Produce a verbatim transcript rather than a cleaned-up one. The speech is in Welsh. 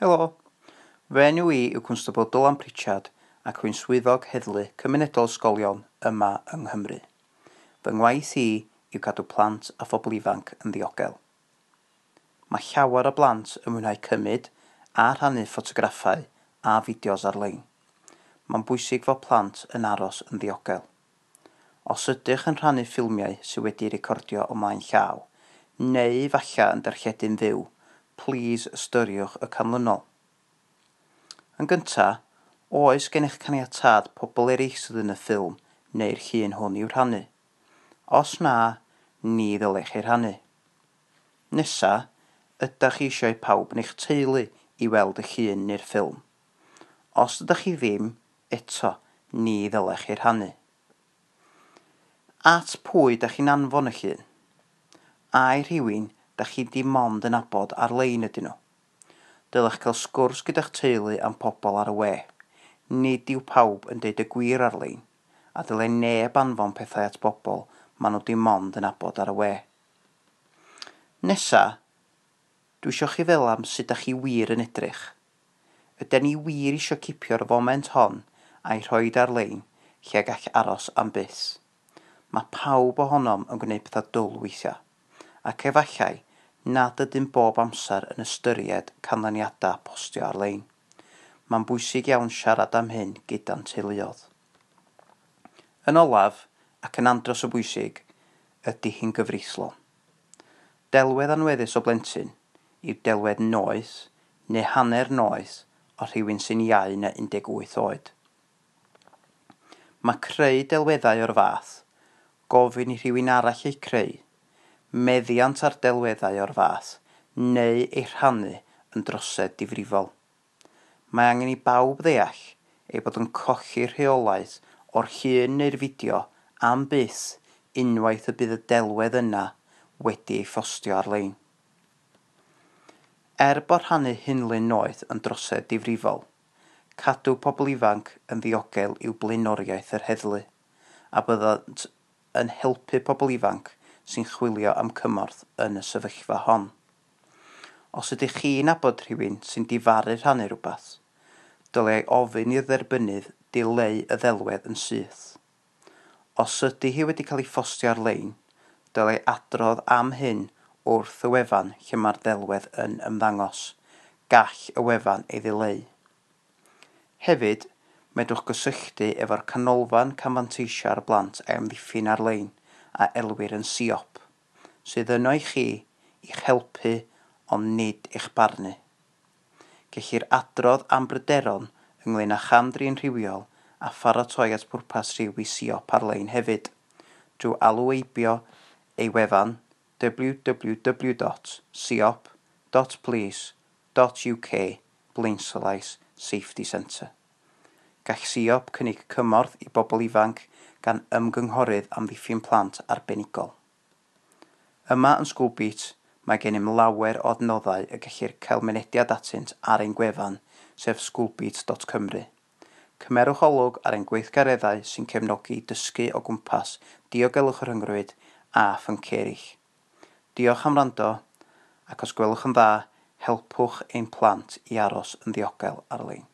Helo, fy enw i yw Cwnstabl Dylan Pritchard ac rwy'n swyddog heddlu cymunedol ysgolion yma yng Nghymru. Fy ngwaith i yw cadw plant a phobl ifanc yn ddiogel. Mae llawer o blant yn mwynhau cymryd a rhannu ffotograffau a fideos ar-lein. Mae'n bwysig fod plant yn aros yn ddiogel. Os ydych yn rhannu ffilmiau sydd wedi'u recordio o mlaen llaw, neu falle yn darlledu'n fyw, plîs ystyriwch y canlynol. Yn gyntaf, oes gennych caniatâd pobl eraill sydd yn y ffilm neu'r llun hwn i'w rhannu? Os na, ni ddylech ei rhannu. Nesa, ydych chi eisiau pawb yn eich teulu i weld y llun neu'r ffilm? Os ydych chi ddim, eto, ni ddylech ei rhannu. At pwy ydych chi'n anfon y llun? Ai rhywun dach chi dim ond yn nabod ar-lein ydyn nhw? Dylech cael sgwrs gyda'ch teulu am pobl ar y we. Nid yw pawb yn deud y gwir ar-lein, a dylai neb anfon pethau at bobl maen nhw dim ond yn nabod ar y we. Nesa, dwi isio chi feddwl am sut dach chi wir yn edrych. Ydan ni wir isio cipio'r foment hon a'i rhoid ar-lein lle gall aros am byth? Mae pawb ohonom yn gwneud pethau dwl weithiau, ac efallai nad ydym bob amser yn ystyried canlyniadau postio ar-lein. Mae'n bwysig iawn siarad am hyn gyda'n teuluoedd. Yn olaf, ac yn andros o bwysig, ydy hi'n gyfreithlon. Delwedd anweddus o blentyn yw delwedd noeth neu hanner noeth o rhywun sy'n iau na un deg wyth oed. Mae creu delweddau o'r fath, gofyn i rhywun arall eu creu, meddiant ar delweddau o'r fath, neu eu rhannu yn drosedd difrifol. Mae angen i bawb ddeall ei bod yn colli rheolaeth o'r llun neu'r fideo am byth unwaith y bydd y delwedd yna wedi ei phostio ar-lein. Er bod rhannu hunlun noeth yn drosedd difrifol, cadw pobl ifanc yn ddiogel yw blaenoriaeth yr heddlu, a byddant yn helpu pobl ifanc sy'n chwilio am cymorth yn y sefyllfa hon. Os ydych chi'n nabod rhywun sy'n difaru rhannu rhywbeth, dylai ofyn i'r dderbynnydd dileu y ddelwedd yn syth. Os ydy hi wedi cael ei phostio ar-lein, dylai adrodd am hyn wrth y wefan lle mae'r ddelwedd yn ymddangos. Gall y wefan ei ddileu. Hefyd, medrwch gysylltu efo'r Canolfan Camfanteisio ar Blant a'i Amddiffyn ar-lein a elwir yn S I O P, sydd yno i chi i'ch helpu ond nid eich barnu. Gellir adrodd am bryderon ynglŷn â cham-drin rhywiol a pharatoi at bwrpas rhyw i S I O P ar-lein hefyd, drwy alw heibio ei wefan w w w dot siop dot police dot u k blaenslaes Safety Centre. Gall S I O P cynnig cymorth i bobl ifanc gan ymgynghorydd amddiffyn plant arbenigol. Yma yn Schoolbeat, mae gennym lawer o adnoddau y gellir cael mynediad atynt ar ein gwefan, sef schoolbeat dot cymru. Cymerwch olwg ar ein gweithgareddau sy'n cefnogi dysgu o gwmpas diogelwch y rhyngrwyd a phynciau eraill. Diolch am wrando, ac os gwelwch yn dda, helpwch ein plant i aros yn ddiogel ar-lein.